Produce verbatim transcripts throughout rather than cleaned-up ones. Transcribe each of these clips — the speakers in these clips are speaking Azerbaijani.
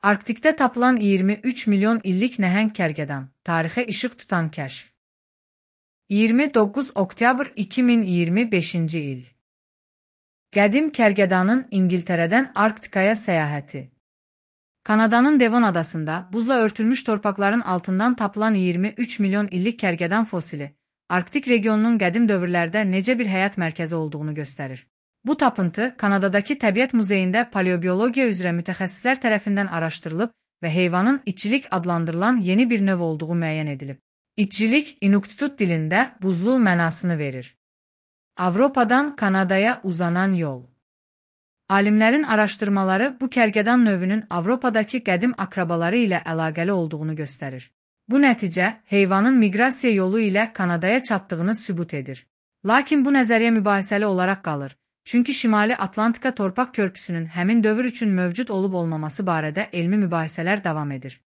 Arktikdə tapılan iyirmi üç milyon illik nəhəng kərgədan, tarixə işıq tutan kəşf. iyirmi doqquz oktyabr iki min iyirmi beşinci il. Qədim kərgədanın İngiltərədən Arktikaya səyahəti. Kanadanın Devon adasında buzla örtülmüş torpaqların altından tapılan iyirmi üç milyon illik kərgədan fosili, Arktik regionunun qədim dövrlərdə necə bir həyat mərkəzi olduğunu göstərir. Bu tapıntı Kanadadakı Təbiət Muzeyində paleobiologiya üzrə mütəxəssislər tərəfindən araşdırılıb və heyvanın itçilik adlandırılan yeni bir növ olduğu müəyyən edilib. İtçilik İnuktitut dilində buzlu mənasını verir. Avropadan Kanadaya uzanan yol. Alimlərin araşdırmaları bu kərgədan növünün Avropadakı qədim akrabaları ilə əlaqəli olduğunu göstərir. Bu nəticə heyvanın miqrasiya yolu ilə Kanadaya çatdığını sübut edir. Lakin bu nəzəriyyə mübahisəli olaraq qalır. Çünki Şimali Atlantika torpaq körpüsünün həmin dövr üçün mövcud olub-olmaması barədə elmi mübahisələr davam edir.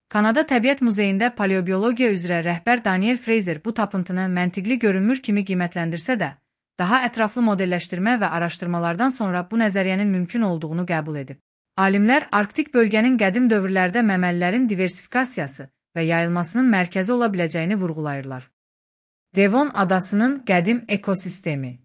Kanada Təbiət Muzeyində paleobiologiya üzrə rəhbər Daniel Fraser bu tapıntını məntiqli görünmür kimi qiymətləndirsə də, daha ətraflı modelləşdirmə və araşdırmalardan sonra bu nəzəriyyənin mümkün olduğunu qəbul edib. Alimlər Arktik bölgənin qədim dövrlərdə məməlilərin diversifikasiyası və yayılmasının mərkəzi ola biləcəyini vurğulayırlar. Devon adasının qədim ekosistemi.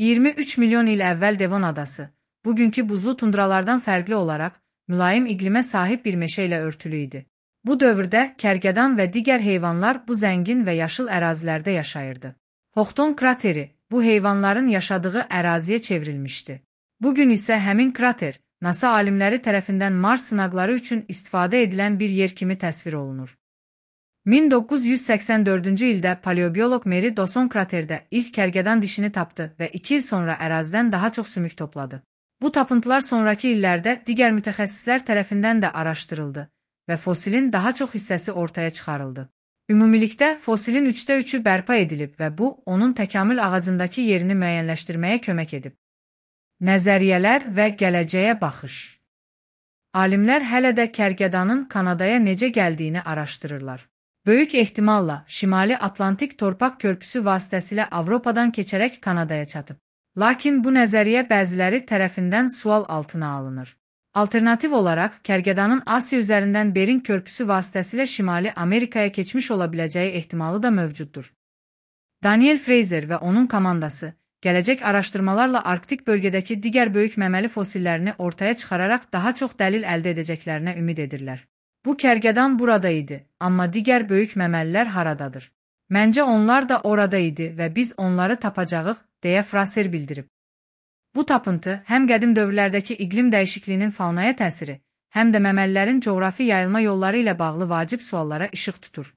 iyirmi üç milyon il əvvəl Devon adası, bugünkü buzlu tundralardan fərqli olaraq, mülayim iqlimə sahib bir meşə ilə örtülü idi. Bu dövrdə kərgədan və digər heyvanlar bu zəngin və yaşıl ərazilərdə yaşayırdı. Houghton krateri bu heyvanların yaşadığı əraziyə çevrilmişdi. Bugün isə həmin krater NASA alimləri tərəfindən Mars sınaqları üçün istifadə edilən bir yer kimi təsvir olunur. min doqquz yüz səksən dördüncü ildə paleobioloq Mary Dawson kraterdə ilk kərgədan dişini tapdı və iki il sonra ərazidən daha çox sümük topladı. Bu tapıntılar sonraki illərdə digər mütəxəssislər tərəfindən də araşdırıldı və fosilin daha çox hissəsi ortaya çıxarıldı. Ümumilikdə fosilin üçdə üçü bərpa edilib və bu, onun təkamül ağacındakı yerini müəyyənləşdirməyə kömək edib. Nəzəriyyələr və gələcəyə baxış. Alimlər hələ də kərgədanın Kanadaya necə gəldiyini araşdırırlar. Böyük ehtimalla Şimali Atlantik torpaq körpüsü vasitəsilə Avropadan keçərək Kanadaya çatıb. Lakin bu nəzəriyyə bəziləri tərəfindən sual altına alınır. Alternativ olaraq, kərgədanın Asiya üzərindən Berin körpüsü vasitəsilə Şimali Amerikaya keçmiş ola biləcəyi ehtimalı da mövcuddur. Daniel Fraser və onun komandası, gələcək araşdırmalarla Arktik bölgədəki digər böyük məməli fosillerini ortaya çıxararaq daha çox dəlil əldə edəcəklərinə ümid edirlər. Bu kərgədan burada idi, amma digər böyük məməlilər haradadır? Məncə onlar da orada idi və biz onları tapacağıq, deyə Fraser bildirib. Bu tapıntı həm qədim dövrlərdəki iqlim dəyişikliyinin faunaya təsiri, həm də məməlilərin coğrafi yayılma yolları ilə bağlı vacib suallara işıq tutur.